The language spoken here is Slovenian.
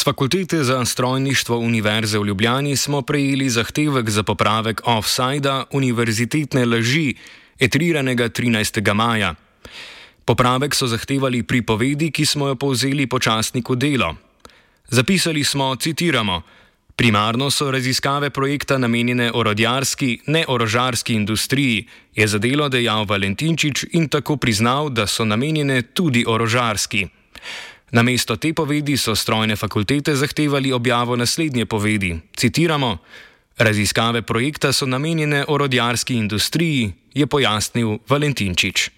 Fakultete za strojništvo Univerze v Ljubljani smo prejeli zahtevek za popravek offsajda univerzitetne laži, etriranega 13. maja. Popravek so zahtevali pri povedi, ki smo jo povzeli po časniku Delo. Zapisali smo, citiramo: "Primarno so raziskave projekta namenjene orodjarski, ne orožarski industriji," je za Delo dejal Valentinčič in tako priznal, da so namenjene tudi orožarski. Namesto te povedi so strojne fakultete zahtevali objavo naslednje povedi, citiramo: "Raziskave projekta so namenjene orodjarski industriji," je pojasnil Valentinčič.